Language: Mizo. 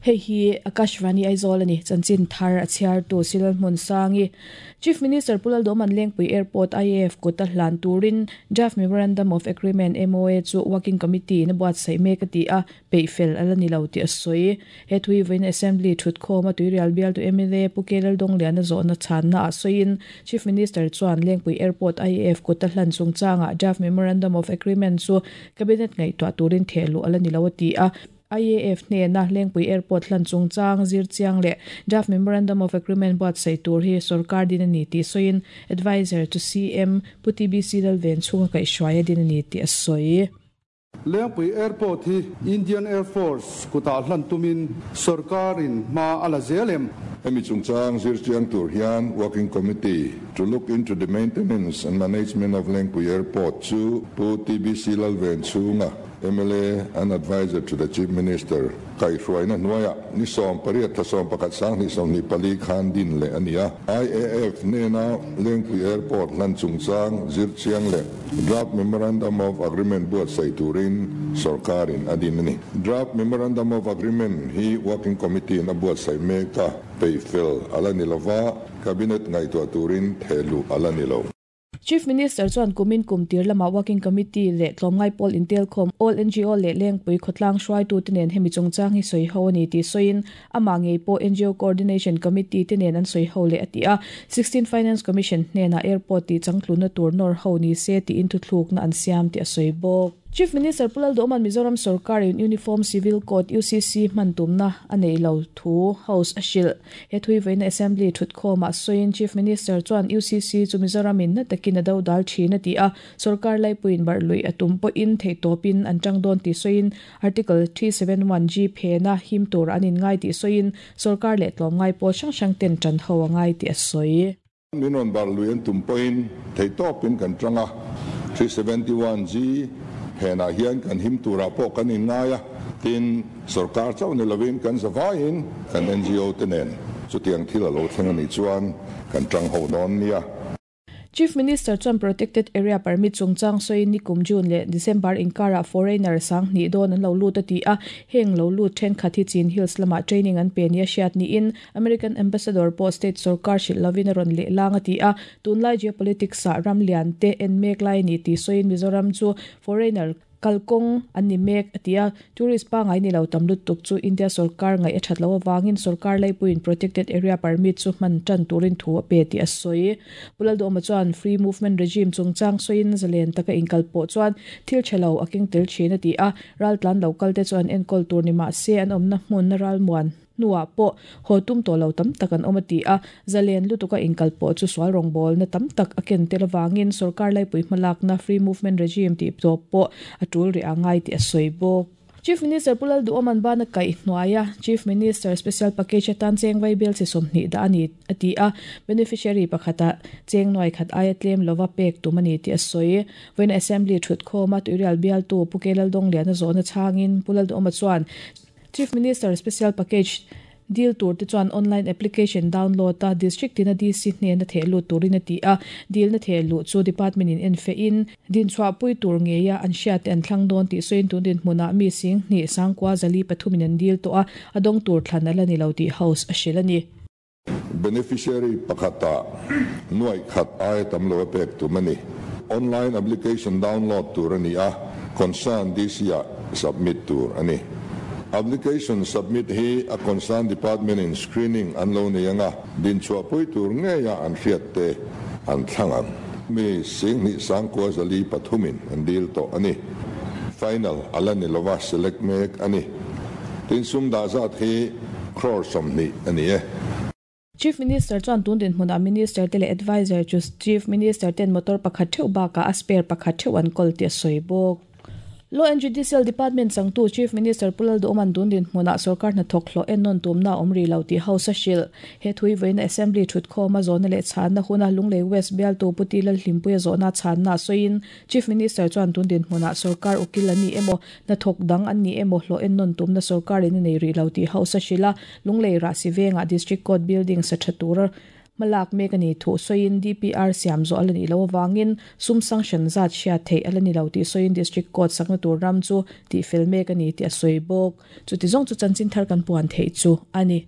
Hei hi Akashvani Aizawl a ni. Chanchin thar a chhiartu Silal Hmunsangi. Chief Minister Pu Lalduhman Lengpui Airport IAF kut a hlan turin Draft Memorandum of Agreement, MOA, chu Working Committee in a buatsaih mek a ti a, peih fel a la ni lo tih a sawi. He thui vawiin Assembly thutkhawm a Tuirial bialtu mla Pu K Laldongliana zawhna chhanna ah sawiin Chief Minister chuan Lengpui Airport IAF kut a hlan chungchangah Draft Memorandum of Agreement chu Cabinet ngaihtuah turin thehluh a la ni lo a ti a. IAF hnena Lengpui Airport hlan chungchang zir chiang leh Draft Memorandum of Agreement buatsaih tur hi sorkar din a ni tih sawiin Adviser to CM Pu TBC Lalven chhunga kaihhruai a din a ni tih a sawi. Lengpui Airport hi Indian Air Force kutah hlan tumin sorkarin hma a la zel em? Hemi chungchang zir chiang tur hian Working Committee to look into the maintenance and management of Lengpui Airport chu Pu TBC Lalven chhunga mla and Adviser to the Chief Minister kaihhruaina hnuaiah ni 18 thla 11 2024 khan din leh a ni a. IAF hnena Lengpui Airport hlan chungchang zir chiang leh Draft Memorandum of Agreement buatsaih turin sorkarin a din a ni. Draft Memorandum of Agreement hi Working Committee-in a buatsaih mek a, peihfel a la ni lova, Cabinet ngaihtuah turin thehluh a la ni lo. Chief Minister chuan kumin kum tir lamah Working Committee leh tlawmngai pawl intelkhawm All ngo leh Lengpui khawtlang hruaitute nen hemi chungchang hi sawi ho a ni tih sawiin amah ngei pawh ngo Coordination Committee te nen an sawi ho leh a ti a. Sixteen Finance Commission hnenah airport tih changtlunna tur nawr ho ni se tiin thuthlukna an siam tih a sawi bawk. Chief Minister Pu Lalduhawma'n Mizoram sorkarin Uniform Civil Code, UCC, hman tumna a nei lo thu House a hrilh. He thuivaina Assembly thutkhawmah sawiin Chief Minister chuan UCC chu Mizoramin na takin a dodal thin a ti a, sorkar laipuiin barh luih a tum pawhin theihtawpin an tang dawn tih sawiin Article 371G phena him tur an inngai tih sawiin sorkar leh tlawmngai pawl hrang hrang ten tan ho a ngai tih a sawi. Min rawn barh lui an tum pawhin theihtawpin kan tang a, 371G phenah hian kan him turah pawh kan inngai a, tin, sorkar chauh ni lovin kan zavaiin kan ngo te nen chutiang thil a lo thleng a nih chuan kan tang ho dawn nia. Chief Minister chuan Protected Area Permit chungchang sawiin nikum June leh December inkarah foreigner 2000 dawn an lo lut a ti a, heng lo lut thenkhat hi Chin Hills lamah training an pe nia hriat niin American Ambassador pawh state sorkar hrilh lovin a rawn leh lang a ti a, tunlai geopolitics ah ram lian te en mek lai a ni tih sawiin Mizoram chu foreigner kalkawng an ni mek a ti a, tourist pangngai ni lo tam lutuk chu India sorkar ngaih a that loh avangin sorkar laipuiin protected area permit chu hman tan turin thu a pe tih a sawi. Pu Lalduhawma chuan free movement regime chungchang sawiin zalen taka inkal pawh chuan thil tha lo a keng tel thin a ti a, raltlan lo kal te chu an enkawl tur ni mah se an awmna hmun ralmuan hnuah pawh haw tum tawh lo tam tak an awm a ti a, zalen lutuka inkal pawh chu sual rawngbawlna tam tak a ken tel avangin sorkar laipui hmalakna free movement regime tih tawp pawh a tul rih a ngai tih a sawi bawk. Chief Minister Pu Lalduhawman bana kaih hnuaia Chief Minister Special Package atan cheng vaibel chi 20 dah a ni a ti a, beneficiary pakhata cheng nuai khat aia tlem lova pek tum a ni tih a sawi. Vawiin Assembly thutkhawma Tuirial bialtu Pu K Laldawngliana zawhna chhangin Pu Lalduhawma chuan Chief Minister Special Package deal tur te chuan online application download a District tina DC hnena theh lut turin a ti a, deal na theh luh chu Department in en feh in dinchhuah pui tur ngeia an hriat te an thlang dawn tih sawiin tun dinhmunah mi 10 943 in an deal tawh a, a dawng tur thlan a la ni lo tih House a hrilh a ni. Beneficiary pakhata nuai khat aia tam lo a pek tum a ni. Online application download tur a ni a, concern DC ah submit tur a ni. Application submit hi a concern department in screening an lo nei anga, dinchhuah pui tur ngeia an hriat te an thlang ang. Mi 10 943 in an deal tawh a ni. Final a la ni lova select mek a ni. Tin sum dah zat hi crore 20 a ni e. Chief Minister chuan tun dinhmunah Minister te leh Adviser chu Chief Minister ten motor pakhat theuh bakah a spare pakhat theuh an kawl tih a sawi bawk. Law and Judicial Department changtu Chief Minister Pu Lalduhawman tun dinhmunah sorkar hnathawk hlawh ennawn tumna a awm rih lo tih House a hrilh. He thui vawiina Assembly thutkhawma zawhna leh chhanna huna Lunglei West bialtu Pu Ti Lalhlimpuia zawhna chhanna a sawiin Chief Minister chuan tun dinhmunah sorkar ukil an ni emaw, hnathawk dang an ni emaw hlawh ennawn tumna sorkarin a nei rih lo tih House a hrilh a, Lunglei Rahsi vengah District Court building sa tha tura. Hmalak mek a nih thu sawiin DPR siam zawh a la nih loh avangin sum sanction zat hriat theih a la ni lo tih sawiin District Court sakna tur ram chu tihfel mek a ni tih a sawi bawk. Chuti zawng chu chanchin thar kan puan theih chu a ni.